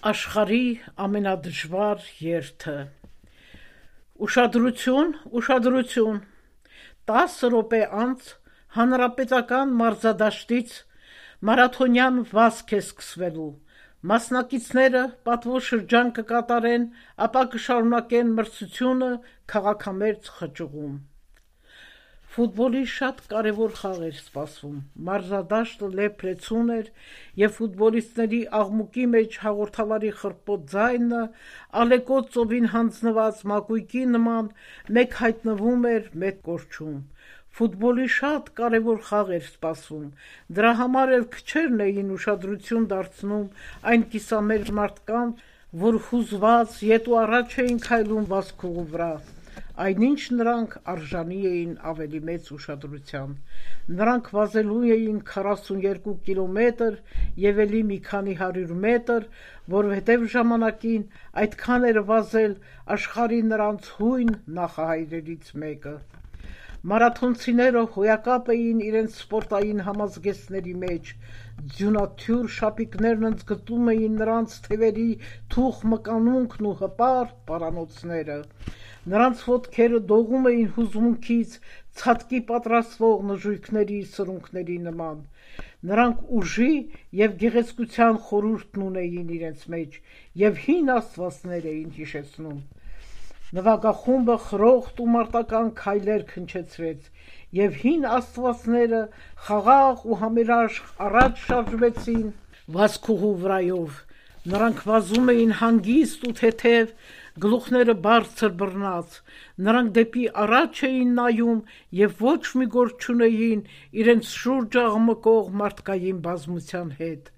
Աշխարհի ամենադժվար երթը։ Ուշադրություն, ուշադրություն։ 10 րոպե անց հանրապետական մարզադաշտից մարաթոնյան վազք է սկսվելու։ Մասնակիցները պատվո շրջան կկատարեն, ապա կշարունակեն մրցությունը քաղաքամերձ խճուղում։ Ֆուտբոլի շատ կարևոր խաղ էր սպասվում։ Մարզադաշտը լեփ-լեցուն էր, եւ ֆուտբոլիստների աղմուկի մեջ հաղորդավարի խռպոտ ձայնը ալեկոծ ծովին հանձնված մակույկի նման մեկ հայտնվում էր, մեկ կորչում։ Ֆուտբոլի շատ կարևոր խաղ էր սպասվում։ Դրա համար էլ քչերն էին ուշադրություն դարձնում այն կիսամերձ մարդկանց, որ հուզված ետ ու առաջ էին քայլում վազքուղու վրա։ Այնինչ նրանք արժանի էին ավելի մեծ ուշադրության։ Նրանք վազելու էին 42 կիլոմետր եւ էլի մի քանի 100 մետր, որովհետեւ ժամանակին այդքան էր վազել աշխարհի նրանց հույն նախահայրերից մեկը։ Մարաթոնցիները հոյակապ էին իրենց սպորտային համազգեստների մեջ, ձյունաթյուր շապիկներն ընդգծում էին նրանց թևերի թուխ մկանունքն ու հպարտ պարանոցները։ Նրանց ոտքերը դողում էին հուզմունքից ցատկի պատրաստվող նժույգների սրունքների նման։ Նրանք ուժի եւ գեղեցկության խորհուրդն ունեին իրենց մեջ եւ հին աստվածներ էին հիշեցնում։ Նվագախումբը խրոխտ ու մարտական քայլեր քնչեցրեց, եւ հին աստվածները խաղաղ ու համերաշխ առաջ շարժվեցին վազքուղու վրայով։ Նրանք վազում էին հանգիստ ու թեթև, գլուխները բարձր բռնած։ Նրանք դեպի առաջ էին նայում եւ ոչ մի գործ չունեին իրենց շուրջը աղմկող մարդկային բազմության հետ։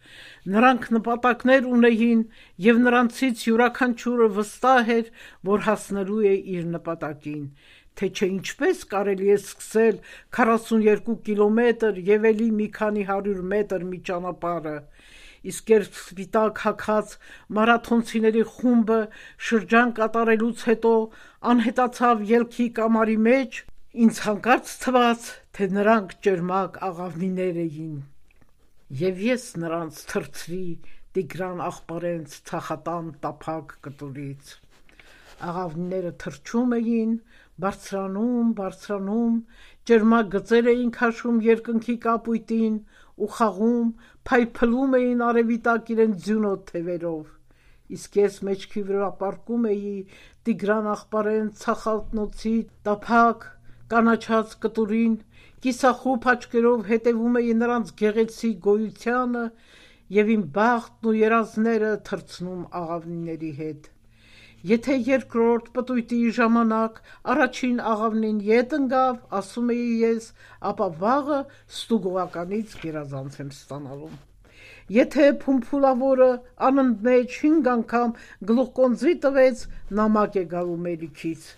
Նրանք նպատակներ ունեին եւ նրանցից յուրաքանչյուրը վստահ էր, որ հասնելու է իր նպատակին։ Թե չէ ինչպես կարելի է սկսել 42 կիլոմետր եւ էլի մի քանի 100 մետր մի ճանապարհը։ Իսկ երբ սպիտակ հագած մարաթոնցիների խումբը շրջան կատարելուց հետո անհետացավ ելքի կամարի մեջ, ինձ հանկարծ թվաց, թե նրանք ճերմակ աղավնիներ էին, եւ ես նրանց թրթրի Տիգրան աղբարենց ցախատան տափակ կտուրից։ Աղավնիները թռչում էին, բարձրանում, ճերմակ գծեր էին քաշում երկնքի կապույտին ու խաղում, փայփլում էին արևի տակ իրենց ձյունոտ թևերով։ Իսկ ես մեջքի վրա պառկում էի Տիգրան աղբարենց ցախատնոցի տափակ կանաչած կտուրին, կիսախուփ աչքերով հետևում էի նրանց գեղեցիկ գոյությանը եւ իմ բախտն ու երազները թռցնում աղավնիների հետ։ Եթե երկրորդ պտույտի ժամանակ առաջին աղավնին ետ ընկավ, ասում էի ես, ապա վաղը ստուգողականից գերազանց եմ ստանալու։ Եթե փումփուլավորը անընդմեջ 5 անգամ գլուխկոնձի տվեց, նամակ է գալու մելիքից։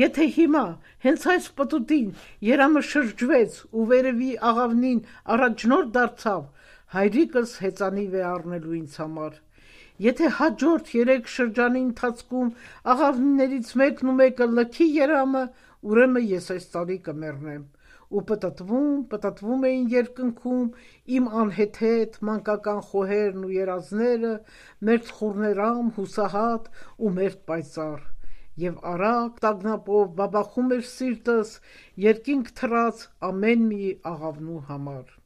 Եթե հիմա հենց այս պտուտին երամը շրջվեց ու վերևի աղավնին առաջնորդ դարձավ, հայրիկս հեծանիվ է առնելու ինձ համար։ Եթե հաջորդ 3 շրջանի ընթացքում աղավնիներից մեկն ու մեկը լքի երամը, ուրեմն ես այս տարի կմեռնեմ։ Ու պտտվում էին երկնքում իմ անհեթեթ մանկական խոհերն ու երազները, մերթ խուռներամ, հուսահատ ու մերթ պայծառ։ Եվ արագ տագնապով բաբախում էր սիրտս երկինք թռած ամեն մի աղավնու համար։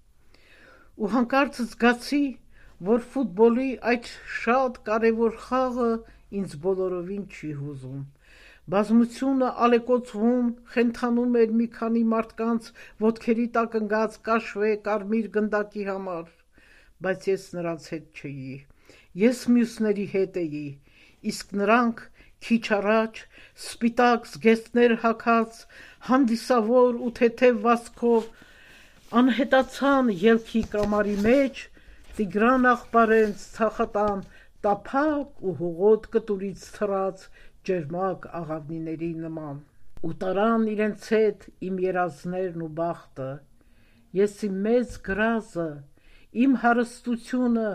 Ու հանկարծ զգացի, որ ֆուտբոլի այդ շատ կարևոր խաղը ինձ բոլորովին չի հուզում։ Բազմությունը ալեկոծվում, խենթանում էր մի քանի մարդկանց ոտքերի տակ ընկած կաշվե կարմիր գնդակի համար, բայց ես նրանց հետ չէի։ Ես մյուսների հետ էի, իսկ նրանք քիչ առաջ սպիտակ զգեստներ հագած, հանդիսավոր ու թեթև վազքով անհետացան ելքի կամարի մեջ Տիգրան աղբարենց ցախատան տափակ ու հողոտ կտուրից թռած ճերմակ աղավնիների նման։ Ու տարան իրենց հետ իմ երազներն ու բախտը։ Ես իմ մեծ գրազը, իմ հարստությունը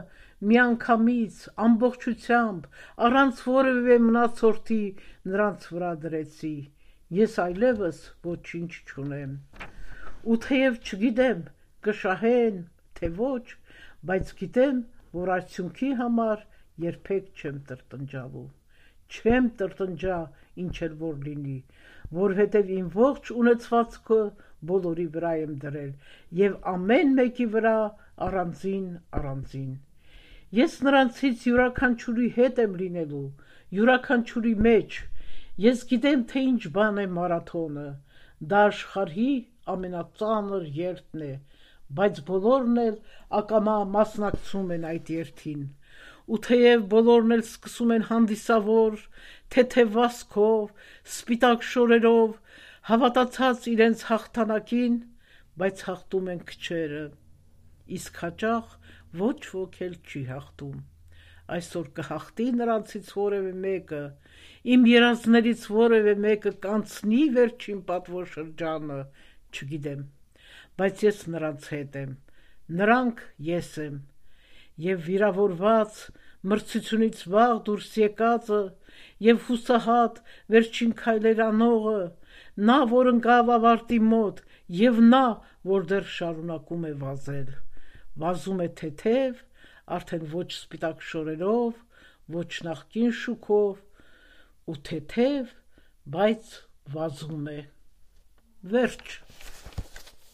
միանգամից ամբողջությամբ առանց որևէ մնացորդի նրանց վրա դրեցի։ Ես այլևս ոչինչ չունեմ։ Ու թեև չգիտեմ կշահեն, թե ոչ, բայց գիտեմ, որ արդյունքի համար երբեք չեմ տրտնջալու, չեմ տրտնջա ինչ էլ որ լինի, որովհետև իմ ողջ ունեցվածքը բոլորի վրա եմ դրել և ամեն մեկի վրա առանձին։ Ես նրանցից յուրաքանչյուրի հետ եմ լինելու, յուրաքանչյուրի մեջ, ես գիտեմ, թե ինչ բան է մարաթոնը, դա աշխարհի ամենածանր երթն է, բայց բոլորն էլ ակամա մասնակցում են այդ երթին, ու թեև բոլորն էլ սկսում են հանդիսավոր, թեթև վազքով, սպիտակ շորերով, հավատացած իրենց հաղթանակին, բայց հաղթում են քչերը, իսկ հաճախ ոչ ոք էլ չի հաղթում։ Այսօր կհաղթի նրանցից որևէ մեկը, իմ երազներից որևէ մեկը կանցնի վերջին պատվոշրջանը, չգիտեմ, բայց ես նրանց հետ եմ, նրանք ես եմ, և վիրավորված, մրցությունից վաղ դուրս եկածը, և հուսահատ վերջին քայլեր անողը, նա, որ ընկավ ավարտի մոտ, և նա, որ դեռ շարունակում է վազել, վազում է թեթև, արդեն ոչ սպիտակ շորերով, ոչ նախկին շուքով, ու թեթև, բայց վազում է։ Վերջ։